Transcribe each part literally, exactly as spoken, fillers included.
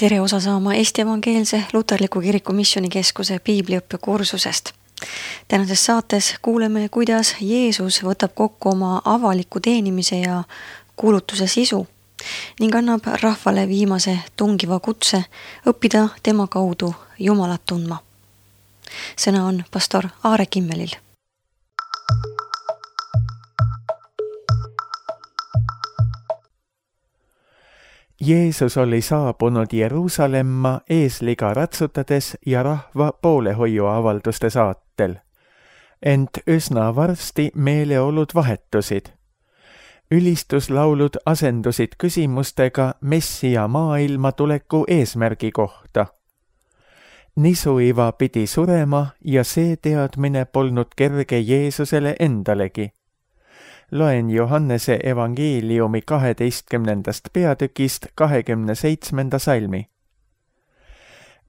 tere osa saama Eesti Evangeelse Luterliku Kiriku Missioonikeskuse piibliõppe kursusest. Tänases saates kuuleme, kuidas Jeesus võtab kokku oma avaliku teenimise ja kuulutuse sisu ning annab rahvale viimase tungiva kutse õppida tema kaudu Jumalat tundma. Sõna on pastor Aare Kimmelil. Jeesus oli saabunud Jeruusalemma eesliga ratsutades ja rahva poolehoiuavalduste saatel. Ent üsna varsti meeleolud vahetusid. Ülistuslaulud asendusid küsimustega Messia maailma tuleku eesmärgi kohta. Nisuiva pidi surema ja see teadmine polnud kerge Jeesusele endalegi. Loen Johannese evangeeliumi kaheteistkümnendast peatükist kahekümne seitsmenda salmi.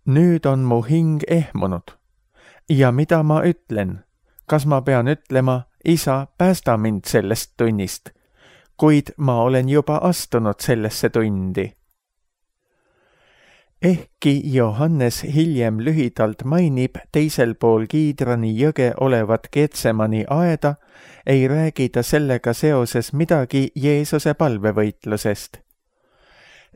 Nüüd on mu hing ehmunud. Ja mida ma ütlen? Kas ma pean ütlema, isa, päästa mind sellest tunnist, kuid ma olen juba astunud sellesse tundi. Ehkki Johannes hiljem lühidalt mainib teisel pool Kiidrani jõge olevat Getsemani aeda, ei räägi ta sellega seoses midagi Jeesuse palvevõitlusest.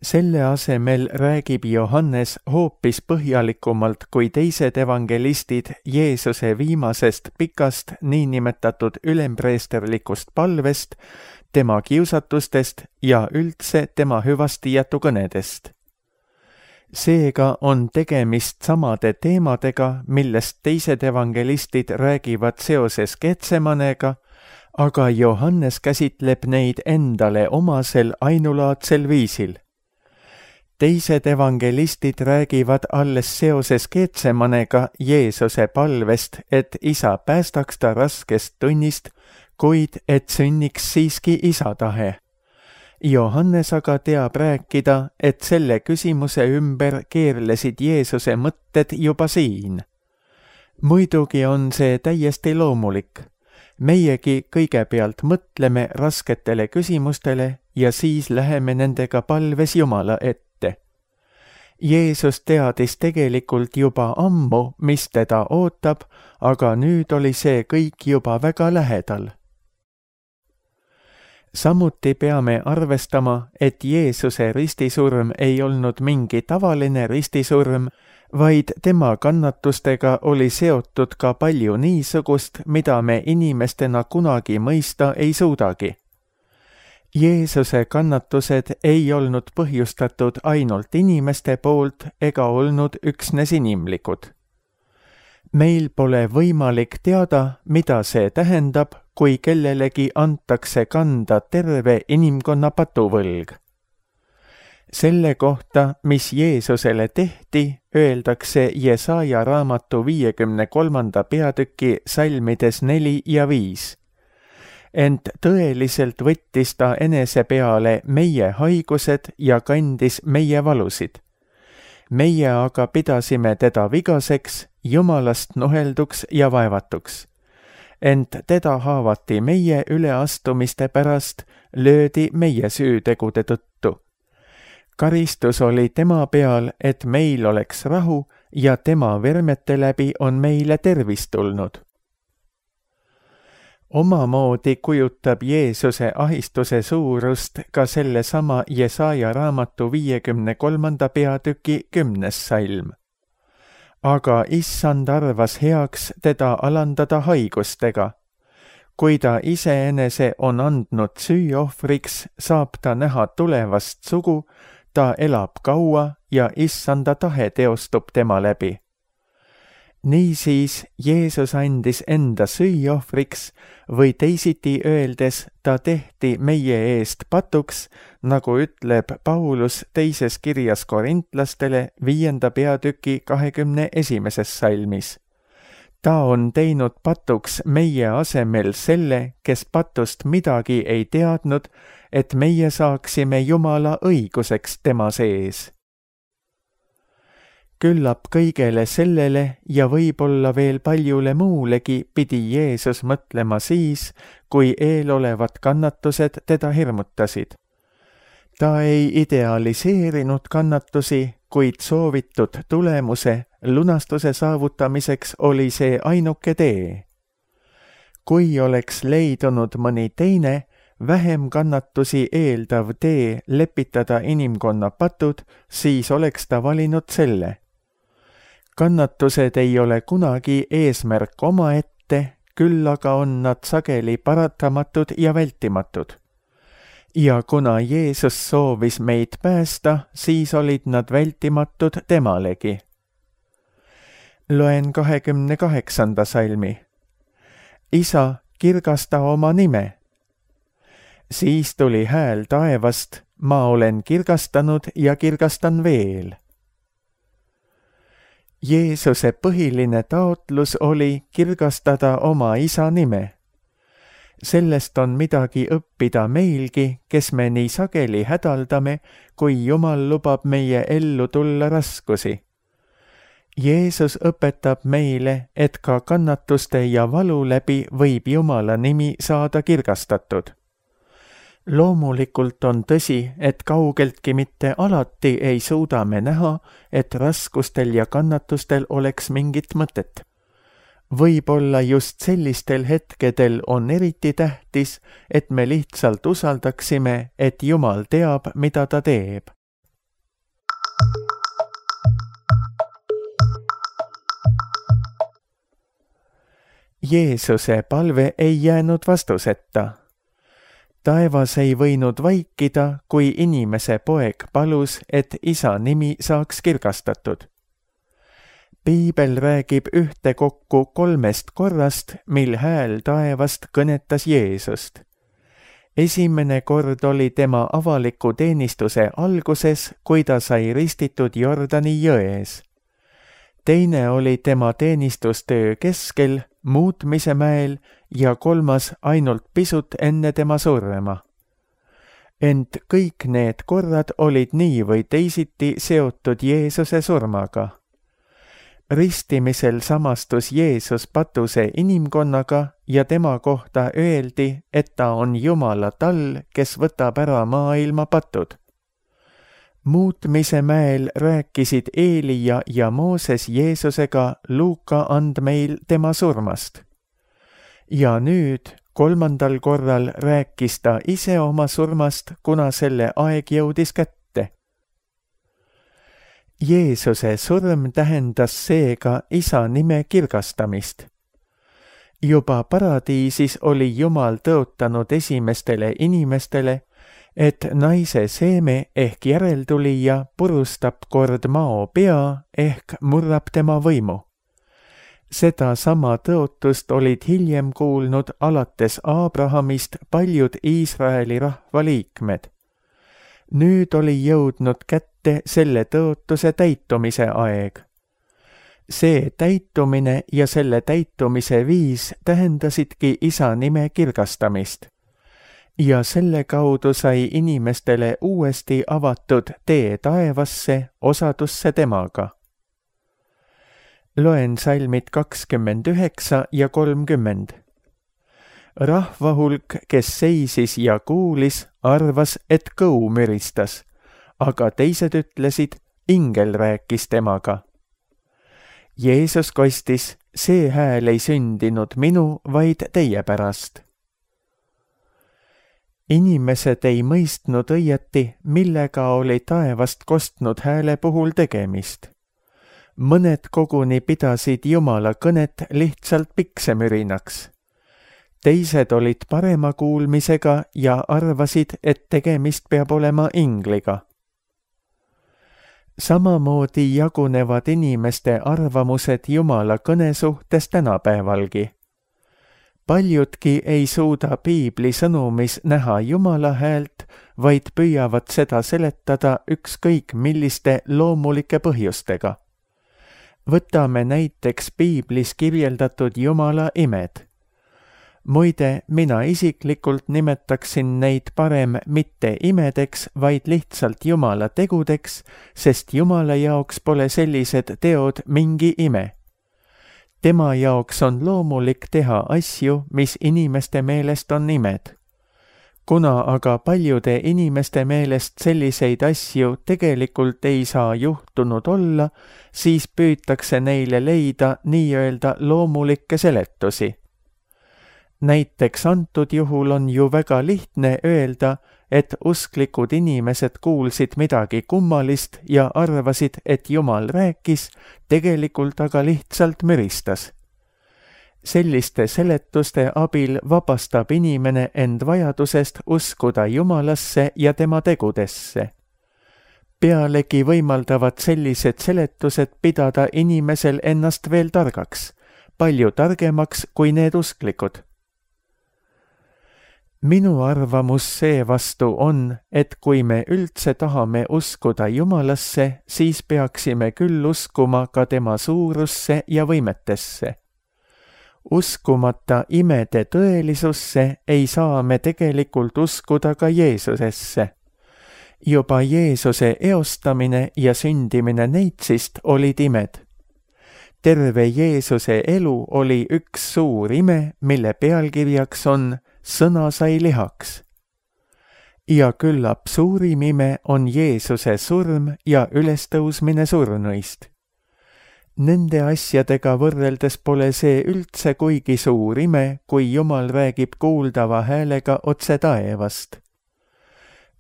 Selle asemel räägib Johannes hoopis põhjalikumalt kui teised evangelistid Jeesuse viimasest pikast niinimetatud ülempreesterlikust palvest, tema kiusatustest ja üldse tema hüvastijätu kõnedest. Seega on tegemist samade teemadega, millest teised evangelistid räägivad seoses Getsemanega, aga Johannes käsitleb neid endale omasel ainulaadsel viisil. Teised evangelistid räägivad alles seoses Getsemanega Jeesuse palvest, et isa päästaks ta raskest tunnist, kuid et sünniks siiski isa tahe. Johannes aga teab rääkida, et selle küsimuse ümber keerlesid Jeesuse mõtted juba siin. Muidugi on see täiesti loomulik. Meiegi kõigepealt mõtleme rasketele küsimustele ja siis läheme nendega palves Jumala ette. Jeesus teadis tegelikult juba ammu, mis teda ootab, aga nüüd oli see kõik juba väga lähedal. Samuti peame arvestama, et Jeesuse ristisurm ei olnud mingi tavaline ristisurm, vaid tema kannatustega oli seotud ka palju niisugust, mida me inimestena kunagi mõista ei suudagi. Jeesuse kannatused ei olnud põhjustatud ainult inimeste poolt ega olnud üksnes inimlikud. Meil pole võimalik teada, mida see tähendab, kui kellelegi antakse kanda terve inimkonna patuvõlg. Selle kohta, mis Jeesusele tehti, öeldakse Jesaja raamatu viiekümne kolmanda peatüki salmides neli ja viis. Ent tõeliselt võttis ta enese peale meie haigused ja kandis meie valusid. Meie aga pidasime teda vigaseks, Jumalast nuhelduks ja vaevatuks. Ent teda haavati meie üleastumiste pärast, löödi meie süütegude tõttu. Karistus oli tema peal, et meil oleks rahu ja tema vermete läbi on meile tervis tulnud. Omamoodi kujutab Jeesuse ahistuse suurust ka sellesama Jesaja raamatu viiekümne kolmanda peatüki kümnes salm. Aga issand arvas heaks teda alandada haigustega. Kui ta iseenese on andnud süüohvriks, saab ta näha tulevast sugu, ta elab kaua ja issanda tahe teostub tema läbi. Niisiis Jeesus andis enda süüohvriks või teisiti öeldes ta tehti meie eest patuks, nagu ütleb Paulus teises kirjas korintlastele viienda peatüki kahekümne esimeses salmis. Ta on teinud patuks meie asemel selle, kes patust midagi ei teadnud, et meie saaksime Jumala õiguseks tema sees. Küllap kõigele sellele ja võib-olla veel paljule muulegi pidi Jeesus mõtlema siis, kui eelolevad kannatused teda hirmutasid. Ta ei idealiseerinud kannatusi, kuid soovitud tulemuse, lunastuse saavutamiseks oli see ainuke tee. Kui oleks leidunud mõni teine, vähem kannatusi eeldav tee lepitada inimkonna patud, siis oleks ta valinud selle. Kannatused ei ole kunagi eesmärk omaette, küll aga on nad sageli paratamatud ja vältimatud. Ja kuna Jeesus soovis meid päästa, siis olid nad vältimatud temalegi. Loen kahekümne kaheksanda salmi. Isa, kirgasta oma nime. Siis tuli hääl taevast, ma olen kirgastanud ja kirgastan veel. Jeesuse põhiline taotlus oli kirgastada oma isa nime. Sellest on midagi õppida meilgi, kes me nii sageli hädaldame, kui Jumal lubab meie ellu tulla raskusi. Jeesus õpetab meile, et ka kannatuste ja valu läbi võib Jumala nimi saada kirgastatud. Loomulikult on tõsi, et kaugeltki mitte alati ei suuda me näha, et raskustel ja kannatustel oleks mingit mõtet. Võib-olla just sellistel hetkedel on eriti tähtis, et me lihtsalt usaldaksime, et Jumal teab, mida ta teeb. Jeesuse palve ei jäänud vastuseta. Taevas ei võinud vaikida, kui inimese poeg palus, et isa nimi saaks kirgastatud. Piibel räägib ühtekokku kolmest korrast, mil hääl taevast kõnetas Jeesust. Esimene kord oli tema avaliku teenistuse alguses, kui ta sai ristitud Jordani jões. Teine oli tema teenistustöö keskel, muutmise mäel ja kolmas ainult pisut enne tema surma. Ent kõik need korrad olid nii või teisiti seotud Jeesuse surmaga. Ristimisel samastus Jeesus patuse inimkonnaga ja tema kohta öeldi, et ta on Jumala tall, kes võtab ära maailma patud. Muutmise mäel rääkisid Eelia ja Mooses Jeesusega Luuka andmeil tema surmast. Ja nüüd, kolmandal korral rääkis ta ise oma surmast, kuna selle aeg jõudis kätte. Jeesuse surm tähendas seega isa nime kirgastamist. Juba paradiisis oli Jumal tõotanud esimestele inimestele, et naise seeme ehk järeltulija purustab kord mao pea ehk murrab tema võimu. Seda sama tõotust olid hiljem kuulnud alates Abrahamist paljud Iisraeli rahva liikmed. Nüüd oli jõudnud kätte selle tõotuse täitumise aeg. See täitumine ja selle täitumise viis tähendasidki isa nime kirgastamist. Ja selle kaudu sai inimestele uuesti avatud tee taevasse, osadusse temaga. Loen salmid kakskümmend üheksa ja kolmkümmend. Rahvahulk, kes seisis ja kuulis, arvas, et kõu müristas, aga teised ütlesid, ingel rääkis temaga. Jeesus kostis, see hääl ei sündinud minu, vaid teie pärast. Inimesed ei mõistnud õieti, millega oli taevast kostnud hääle puhul tegemist. Mõned koguni pidasid Jumala kõnet lihtsalt piksemürinaks. Teised olid parema kuulmisega ja arvasid, et tegemist peab olema ingliga. Samamoodi jagunevad inimeste arvamused Jumala kõne suhtes tänapäevalgi. Paljudki ei suuda piibli sõnumis näha Jumala häält, vaid püüavad seda seletada ükskõik milliste loomulike põhjustega. Võtame näiteks piiblis kirjeldatud Jumala imed. Muide, mina isiklikult nimetaksin neid parem mitte imedeks, vaid lihtsalt Jumala tegudeks, sest Jumala jaoks pole sellised teod mingi ime. Tema jaoks on loomulik teha asju, mis inimeste meelest on imed. kuna aga paljude inimeste meelest selliseid asju tegelikult ei saa juhtunud olla, siis püütakse neile leida nii-öelda loomulikke seletusi. Näiteks antud juhul on ju väga lihtne öelda, et usklikud inimesed kuulsid midagi kummalist ja arvasid, et Jumal rääkis, tegelikult aga lihtsalt müristas. Selliste seletuste abil vabastab inimene end vajadusest uskuda Jumalasse ja tema tegudesse. Pealegi võimaldavad sellised seletused pidada inimesel ennast veel targaks, palju targemaks kui need usklikud. Minu arvamus seevastu on, et kui me üldse tahame uskuda Jumalasse, siis peaksime küll uskuma ka tema suurusse ja võimetesse. Uskumata imede tõelisusse ei saa me tegelikult uskuda ka Jeesusesse. Juba Jeesuse eostamine ja sündimine neitsist olid imed. Terve Jeesuse elu oli üks suur ime, mille pealkirjaks on Sõna sai lihaks. Ja küllap suurim ime on Jeesuse surm ja ülestõusmine surnuist. Nende asjadega võrreldes pole see üldse kuigi suur ime, kui Jumal räägib kuuldava häälega otse taevast.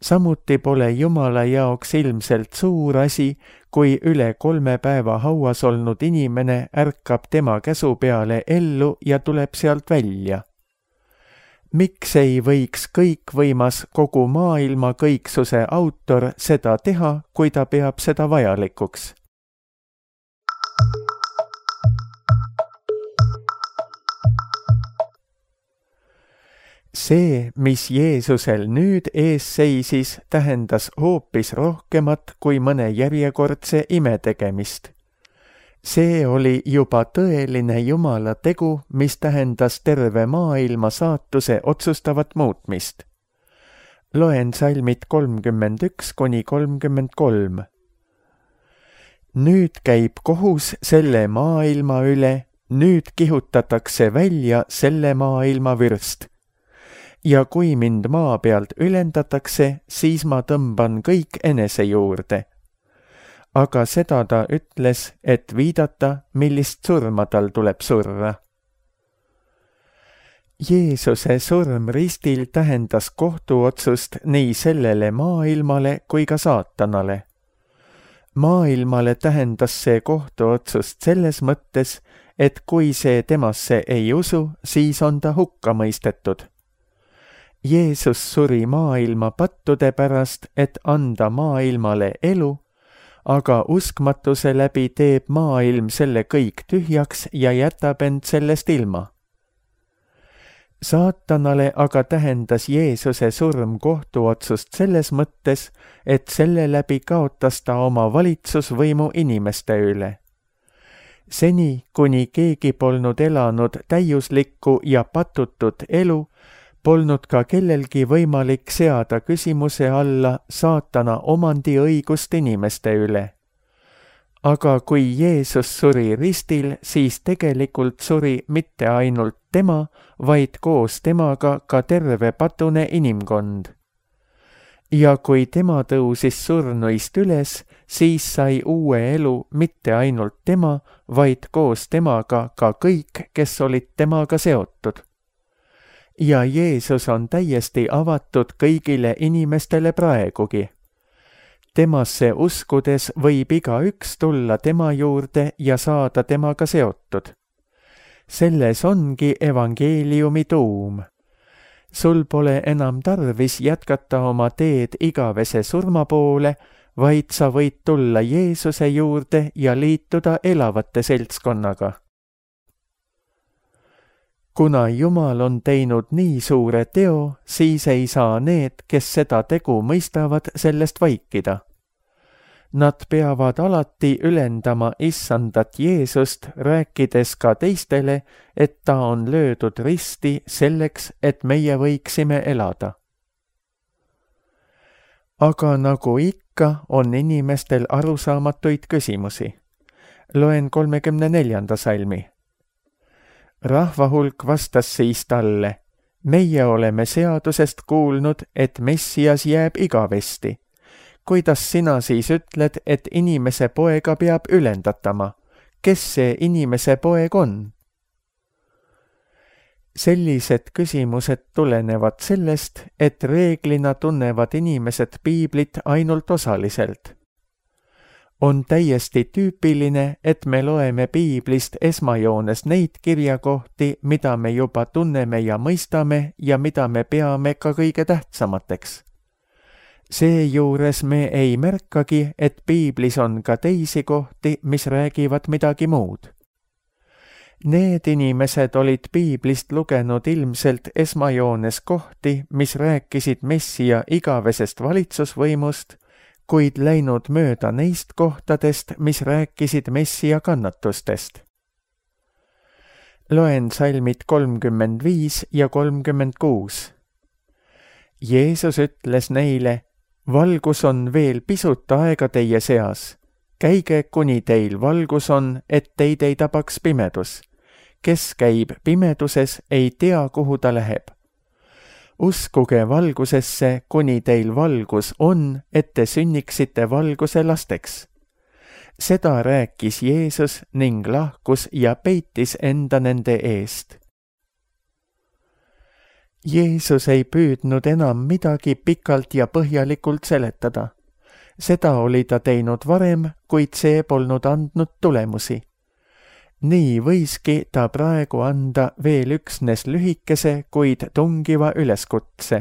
Samuti pole Jumala jaoks ilmselt suur asi, kui üle kolme päeva hauas olnud inimene ärkab tema käsu peale ellu ja tuleb sealt välja. Miks ei võiks kõikvõimas kogu maailma kõiksuse autor seda teha, kui ta peab seda vajalikuks? See, mis Jeesusel nüüd ees seisis, tähendas hoopis rohkemat kui mõne järjekordse ime tegemist. See oli juba tõeline Jumala tegu, mis tähendas terve maailma saatuse otsustavat muutmist. Loen salmid kolmkümmend üks kuni kolmkümmend kolm. Nüüd käib kohus selle maailma üle, nüüd kihutatakse välja selle maailma vürst. Ja kui mind maa pealt ülendatakse, siis ma tõmban kõik enese juurde. Aga seda ta ütles, et viidata, millist surma tal tuleb surra. Jeesuse surm ristil tähendas kohtuotsust nii sellele maailmale kui ka saatanale. Maailmale tähendas see kohtuotsust selles mõttes, et kui see temasse ei usu, siis on ta hukka mõistetud. Jeesus suri maailma pattude pärast, et anda maailmale elu, aga uskmatuse läbi teeb maailm selle kõik tühjaks ja jätab end sellest ilma. Saatanale aga tähendas Jeesuse surm kohtuotsust selles mõttes, et selle läbi kaotas ta oma valitsusvõimu inimeste üle. Seni, kuni keegi polnud elanud täiuslikku ja patutut elu, polnud ka kellelgi võimalik seada küsimuse alla saatana omandiõigust inimeste üle. Aga kui Jeesus suri ristil, siis tegelikult suri mitte ainult tema, vaid koos temaga ka terve patune inimkond. Ja kui tema tõusis surnuist üles, siis sai uue elu mitte ainult tema, vaid koos temaga ka kõik, kes olid temaga seotud. Ja Jeesus on täiesti avatud kõigile inimestele praegugi. Temasse uskudes võib igaüks tulla tema juurde ja saada temaga seotud. Selles ongi evangeeliumi tuum. Sul pole enam tarvis jätkata oma teed igavese surma poole, vaid sa võid tulla Jeesuse juurde ja liituda elavate seltskonnaga. Kuna Jumal on teinud nii suure teo, siis ei saa need, kes seda tegu mõistavad, sellest vaikida. Nad peavad alati ülendama issandat Jeesust, rääkides ka teistele, et ta on löödud risti selleks, et meie võiksime elada. Aga nagu ikka, on inimestel arusaamatuid küsimusi. Loen kolmekümne neljanda salmi. Rahvahulk vastas siis talle, meie oleme seadusest kuulnud, et Messias jääb igavesti. Kuidas sina siis ütled, et inimese poega peab ülendatama? Kes see inimese poeg on? Sellised küsimused tulenevad sellest, et reeglina tunnevad inimesed piiblit ainult osaliselt. On täiesti tüüpiline, et me loeme piiblist esmajoones neid kirjakohti, mida me juba tunneme ja mõistame ja mida me peame ka kõige tähtsamateks. Seejuures me ei märkagi, et piiblis on ka teisi kohti, mis räägivad midagi muud. Need inimesed olid piiblist lugenud ilmselt esmajoones kohti, mis rääkisid Messia igavesest valitsusvõimust, kuid läinud mööda neist kohtadest, mis rääkisid Messia kannatustest. Loen salmid kolmkümmend viis ja kolmkümmend kuus. Jeesus ütles neile, valgus on veel pisut aega teie seas. Käige, kuni teil valgus on, et teid ei tabaks pimedus. Kes käib pimeduses, ei tea, kuhu ta läheb. Uskuge valgusesse, kuni teil valgus on, et te sünniksite valguse lasteks. Seda rääkis Jeesus ning lahkus ja peitis enda nende eest. Jeesus ei püüdnud enam midagi pikalt ja põhjalikult seletada. Seda oli ta teinud varem, kuid see polnud andnud tulemusi. Nii võiski ta praegu anda veel üksnes lühikese, kuid tungiva üleskutse.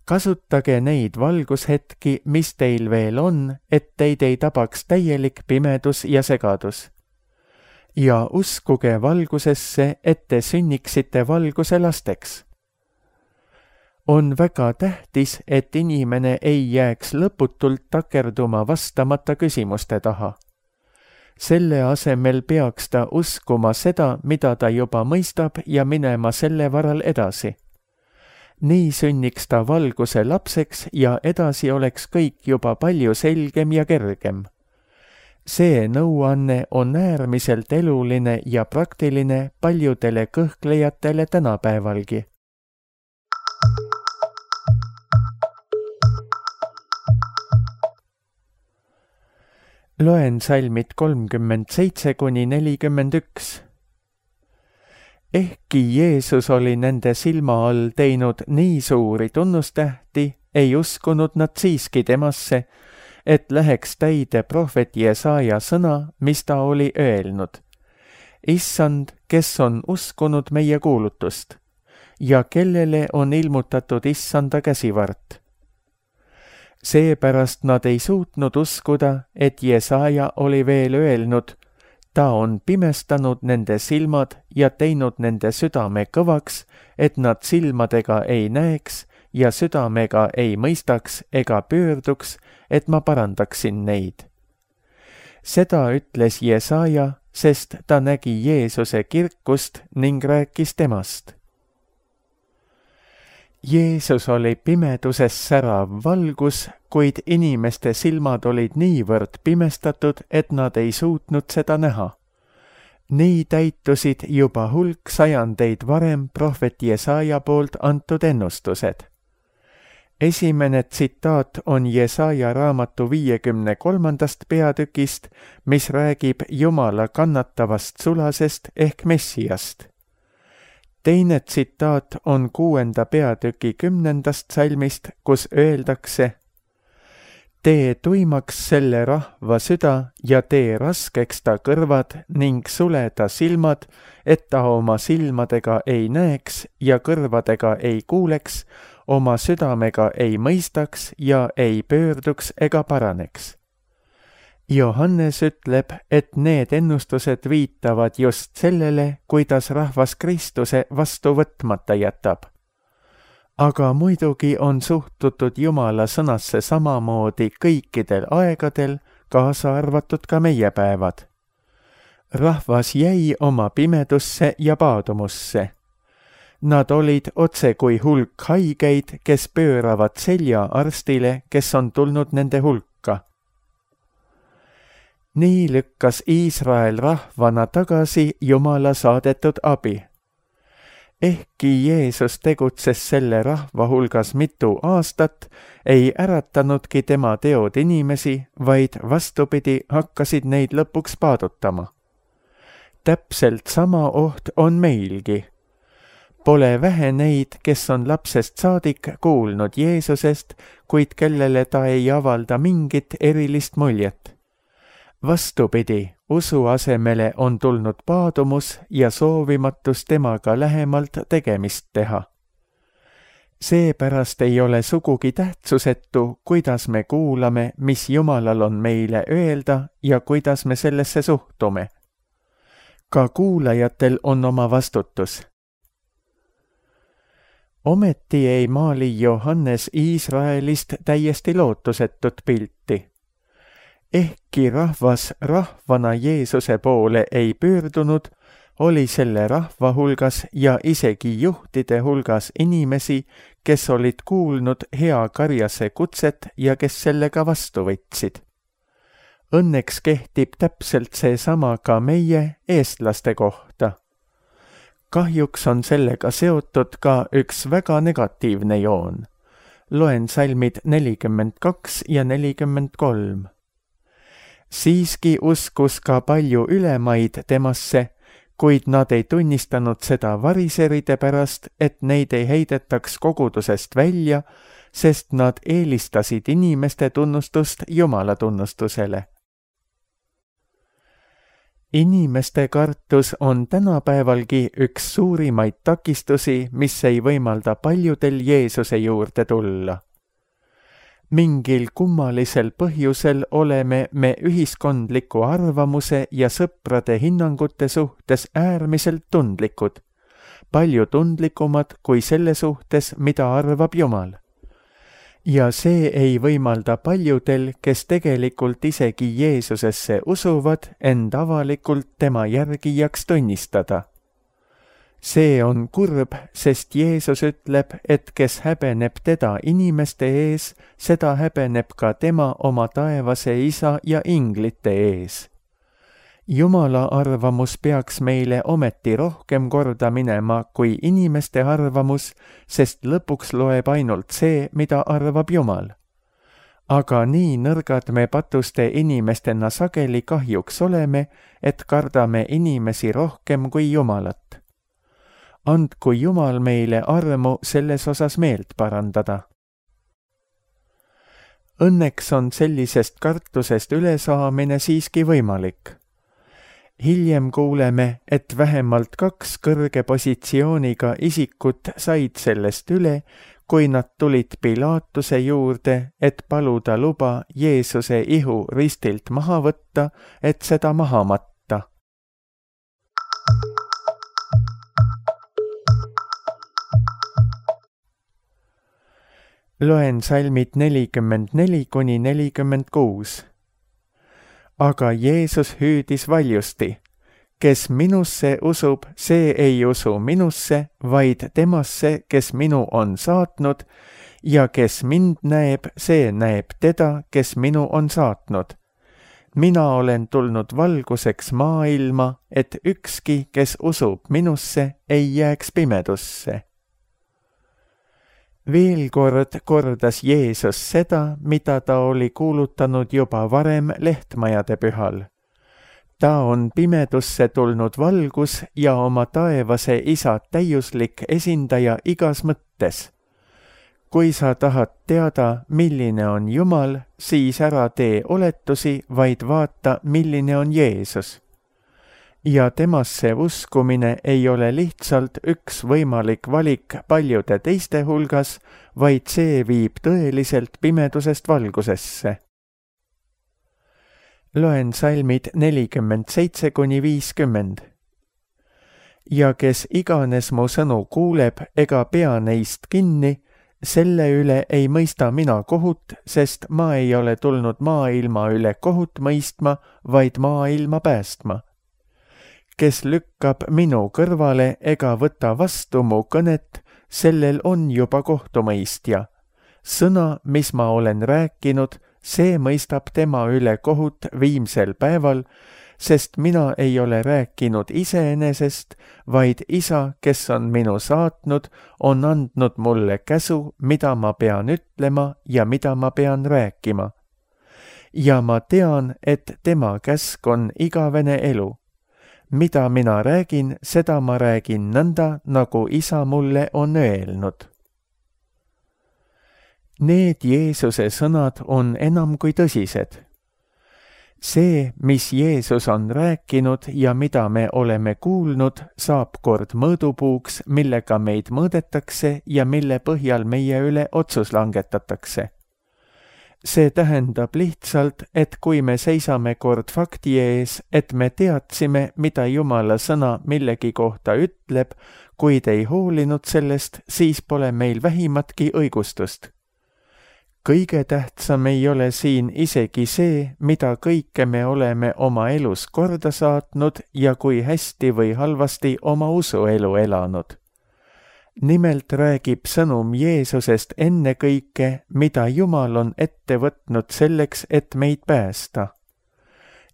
Kasutage neid valgushetki, mis teil veel on, et teid ei tabaks täielik pimedus ja segadus. Ja uskuge valgusesse, et te sünniksite valguse lasteks. On väga tähtis, et inimene ei jääks lõputult takerduma vastamata küsimuste taha. Selle asemel peaks ta uskuma seda, mida ta juba mõistab ja minema selle varal edasi. Nii sünniks ta valguse lapseks ja edasi oleks kõik juba palju selgem ja kergem. See nõuanne on äärmiselt eluline ja praktiline paljudele kõhklejatele tänapäevalgi. Loen salmid kolmkümmend seitse kuni nelikümmend üks. Ehkki Jeesus oli nende silma all teinud nii suuri tunnustähti, ei uskunud nad siiski temasse, et läheks täide prohvet Jesaja sõna, mis ta oli öelnud. Issand, kes on uskunud meie kuulutust ja kellele on ilmutatud issanda käsivart. Seepärast nad ei suutnud uskuda, et Jesaja oli veel öelnud, ta on pimestanud nende silmad ja teinud nende südame kõvaks, et nad silmadega ei näeks ja südamega ei mõistaks ega pöörduks, et ma parandaksin neid. Seda ütles Jesaja, sest ta nägi Jeesuse kirkust ning rääkis temast. Jeesus oli pimeduses särav valgus, kuid inimeste silmad olid niivõrd pimestatud, et nad ei suutnud seda näha. Nii täitusid juba hulk sajandeid varem prohvet Jesaja poolt antud ennustused. Esimene tsitaat on Jesaja raamatu viiekümne kolmandast peatükist, mis räägib Jumala kannatavast sulasest ehk Messiast. Teine tsitaat on kuuenda peatüki kümnendast salmist, kus öeldakse: tee tuimaks selle rahva süda ja tee raskeks ta kõrvad ning sule ta silmad, et ta oma silmadega ei näeks ja kõrvadega ei kuuleks, oma südamega ei mõistaks ja ei pöörduks ega paraneks. Johannes ütleb, et need ennustused viitavad just sellele, kuidas rahvas Kristuse vastu võtmata jätab. Aga muidugi on suhtutud Jumala sõnasse samamoodi kõikidel aegadel, kaasa arvatud ka meie päevad. Rahvas jäi oma pimedusse ja paadumusse. Nad olid otse kui hulk haigeid, kes pööravad selja arstile, kes on tulnud nende hulka. Nii lükkas Iisrael rahvana tagasi Jumala saadetud abi. Ehkki Jeesus tegutses selle rahva hulgas mitu aastat, ei äratanudki tema teod inimesi, vaid vastupidi hakkasid neid lõpuks paadutama. Täpselt sama oht on meilgi. Pole vähe neid, kes on lapsest saadik kuulnud Jeesusest, kuid kellele ta ei avalda mingit erilist muljet. Vastupidi, usu asemele on tulnud paadumus ja soovimatus temaga lähemalt tegemist teha. Seepärast ei ole sugugi tähtsusetu, kuidas me kuulame, mis Jumalal on meile öelda ja kuidas me sellesse suhtume. Ka kuulajatel on oma vastutus. Ometi ei maali Johannes Iisraelist täiesti lootusetut pilti. Ehkki rahvas rahvana Jeesuse poole ei pöördunud, oli selle rahva hulgas ja isegi juhtide hulgas inimesi, kes olid kuulnud hea karjase kutset ja kes sellega vastu võtsid. Õnneks kehtib täpselt seesama ka meie eestlaste kohta. Kahjuks on sellega seotud ka üks väga negatiivne joon. Loen salmid nelikümmend kaks ja nelikümmend kolm. Siiski uskus ka palju ülemaid temasse, kuid nad ei tunnistanud seda variseride pärast, et neid ei heidetaks kogudusest välja, sest nad eelistasid inimeste tunnustust Jumala tunnustusele. Inimeste kartus on tänapäevalgi üks suurimaid takistusi, mis ei võimalda paljudel Jeesuse juurde tulla. Mingil kummalisel põhjusel oleme me ühiskondliku arvamuse ja sõprade hinnangute suhtes äärmiselt tundlikud, palju tundlikumad kui selle suhtes, mida arvab Jumal. Ja see ei võimalda paljudel, kes tegelikult isegi Jeesusesse usuvad, end avalikult tema järgijaks tunnistada. See on kurb, sest Jeesus ütleb, et kes häbeneb teda inimeste ees, seda häbeneb ka tema oma taevase isa ja inglite ees. Jumala arvamus peaks meile ometi rohkem korda minema kui inimeste arvamus, sest lõpuks loeb ainult see, mida arvab Jumal. Aga nii nõrgad me patuste inimestena sageli kahjuks oleme, et kardame inimesi rohkem kui Jumalat. Andku Jumal meile armu selles osas meelt parandada. Õnneks on sellisest kartusest ülesaamine siiski võimalik. Hiljem kuuleme, et vähemalt kaks kõrge positsiooniga isikut said sellest üle, kui nad tulid Pilaatuse juurde, et paluda luba Jeesuse ihu ristilt maha võtta, et seda maha matta. Loen salmid nelikümmend neli kuni nelikümmend kuus. Aga Jeesus hüüdis valjusti, kes minusse usub, see ei usu minusse, vaid temasse, kes minu on saatnud, ja kes mind näeb, see näeb teda, kes minu on saatnud. Mina olen tulnud valguseks maailma, et ükski, kes usub minusse, ei jääks pimedusse. Veel kord kordas Jeesus seda, mida ta oli kuulutanud juba varem lehtmajade pühal. Ta on pimedusse tulnud valgus ja oma taevase isa täiuslik esindaja igas mõttes. Kui sa tahad teada, milline on Jumal, siis ära tee oletusi, vaid vaata, milline on Jeesus. Ja temasse uskumine ei ole lihtsalt üks võimalik valik paljude teiste hulgas, vaid see viib tõeliselt pimedusest valgusesse. Loen salmid nelikümmend seitse kuni viiskümmend. Ja kes iganes mu sõnu kuuleb ega pea neist kinni, selle üle ei mõista mina kohut, sest ma ei ole tulnud maailma üle kohut mõistma, vaid maailma päästma. Kes lükkab minu kõrvale ega võta vastu mu kõnet, sellel on juba kohtumõistja. Sõna, mis ma olen rääkinud, see mõistab tema üle kohut viimsel päeval, sest mina ei ole rääkinud iseenesest, vaid Isa, kes on minu saatnud, on andnud mulle käsu, mida ma pean ütlema ja mida ma pean rääkima. Ja ma tean, et tema käsk on igavene elu. Mida mina räägin, seda ma räägin nõnda, nagu Isa mulle on öelnud. Need Jeesuse sõnad on enam kui tõsised. See, mis Jeesus on rääkinud ja mida me oleme kuulnud, saab kord mõõdupuuks, millega meid mõõdetakse ja mille põhjal meie üle otsus langetatakse. See tähendab lihtsalt, et kui me seisame kord fakti ees, et me teadsime, mida Jumala sõna millegi kohta ütleb, kuid ei hoolinud sellest, siis pole meil vähimatki õigustust. Kõige tähtsam ei ole siin isegi see, mida kõike me oleme oma elus korda saatnud ja kui hästi või halvasti oma usuelu elanud. Nimelt räägib sõnum Jeesusest ennekõike, mida Jumal on ette võtnud selleks, et meid päästa.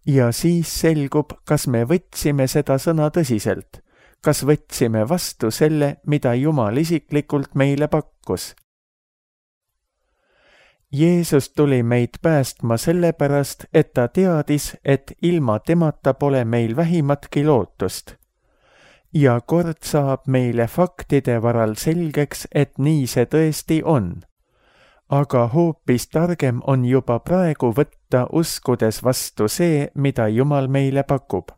Ja siis selgub, kas me võtsime seda sõna tõsiselt, kas võtsime vastu selle, mida Jumal isiklikult meile pakkus. Jeesus tuli meid päästma sellepärast, et ta teadis, et ilma temata pole meil vähimatki lootust. Ja kord saab meile faktide varal selgeks, et nii see tõesti on. Aga hoopis targem on juba praegu võtta uskudes vastu see, mida Jumal meile pakub.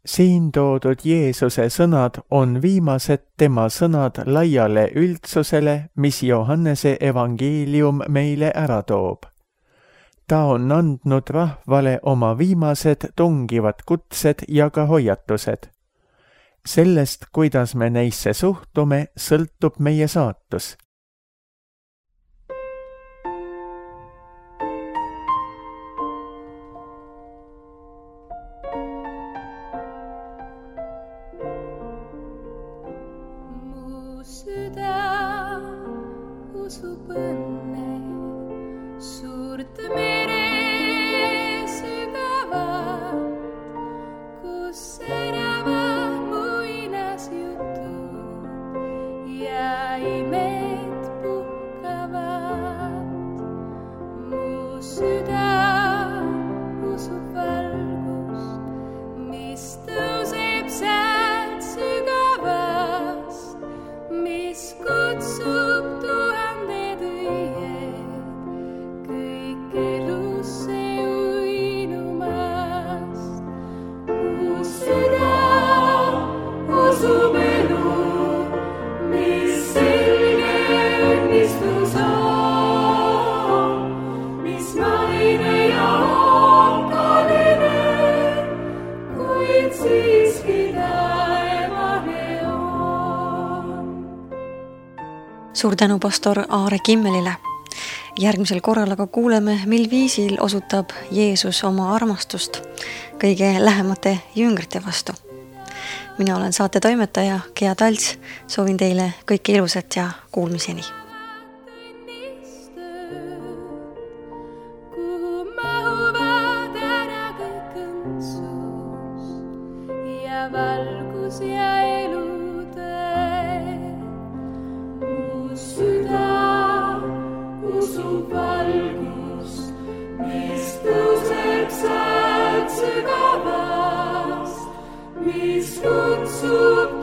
Siin toodud Jeesuse sõnad on viimased tema sõnad laiale üldsusele, mis Johannese evangeelium meile ära toob. Ta on andnud rahvale oma viimased tungivad kutsed ja ka hoiatused. Sellest, kuidas me neisse suhtume, sõltub meie saatus. Usub õnne, suurt mere sügavat, kus säravad muinasjutud ja imed puhkavad. Mu süda usub valgust, mis tõuseb sealt sügavast, mis kutsub Suur tänu pastor Aare Kimmelile. Järgmisel korral aga kuuleme, mil viisil osutab Jeesus oma armastust kõige lähemate jüngrite vastu. Mina olen saate toimetaja Gea Talts, soovin teile kõike ilusat ja kuulmiseni. Kuhu mahuvad ära kõik õndsus ja valgus ja elutee. Mu süda usub valgust, mis tõuseb sealt sügavast, mis kutsub